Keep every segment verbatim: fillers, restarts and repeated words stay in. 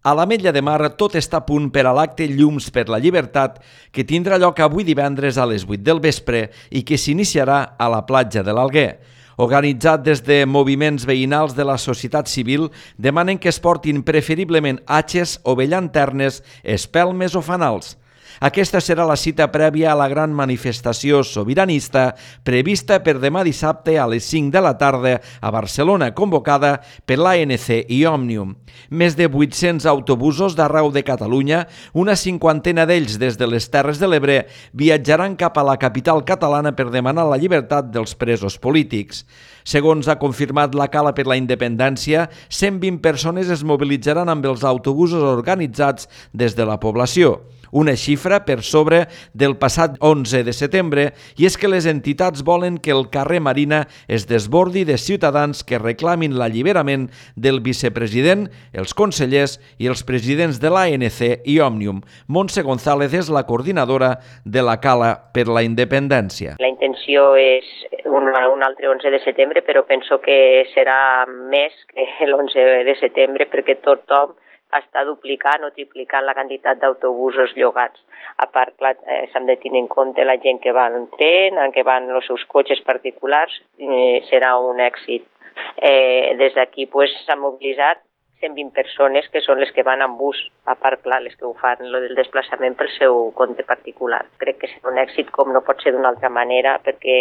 A l'Ametlla de Mar tot està a punt per a l'acte Llums per la Llibertat que tindrà lloc avui divendres a les vuit del vespre i que s'iniciarà a la platja de l'Alguer. Organitzat des de moviments veïnals de la societat civil, demanen que es portin preferiblement atxes o llanternes, espelmes o fanals. Aquesta serà la cita prèvia a la gran manifestació sobiranista prevista per demà dissabte a les cinc de la tarda a Barcelona, convocada per l'A N C i Òmnium. Més de vuit-cents autobusos d'arreu de Catalunya, una cinquantena d'ells des de les Terres de l'Ebre, viatjaran cap a la capital catalana per demanar la llibertat dels presos polítics. Segons ha confirmat la Cala per la Independència, cent vint persones es mobilitzaran amb els autobusos organitzats des de la població. Una xifra per sobre del passat onze de setembre, i és que les entitats volen que el carrer Marina es desbordi de ciutadans que reclamin l'alliberament del vicepresident, els consellers i els presidents de l'A N C i Òmnium. Montse González és la coordinadora de la Cala per la Independència. La intenció és un, un altre onze de setembre, però penso que serà més que l'onze de setembre perquè tothom està duplicant o triplicant la quantitat d'autobusos llogats. A part, clar, eh, s'han de tenir en compte la gent que va en tren, que van els seus cotxes particulars, eh, serà un èxit. Eh, des d'aquí pues, s'han mobilitzat cent vint persones que són les que van en bus, a part, clar, les que ho fan lo del desplaçament pel seu compte particular. Crec que serà un èxit com no pot ser d'una altra manera perquè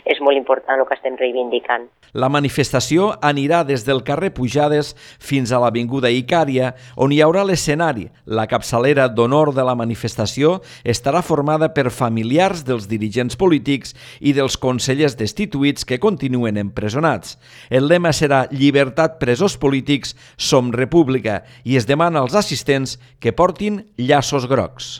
és molt important el que estem reivindicant. La manifestació anirà des del carrer Pujades fins a l'Avinguda Icària, on hi haurà l'escenari. La capçalera d'honor de la manifestació estarà formada per familiars dels dirigents polítics i dels consellers destituïts que continuen empresonats. El lema serà Llibertat presos polítics, som república, i es demana als assistents que portin llaços grocs.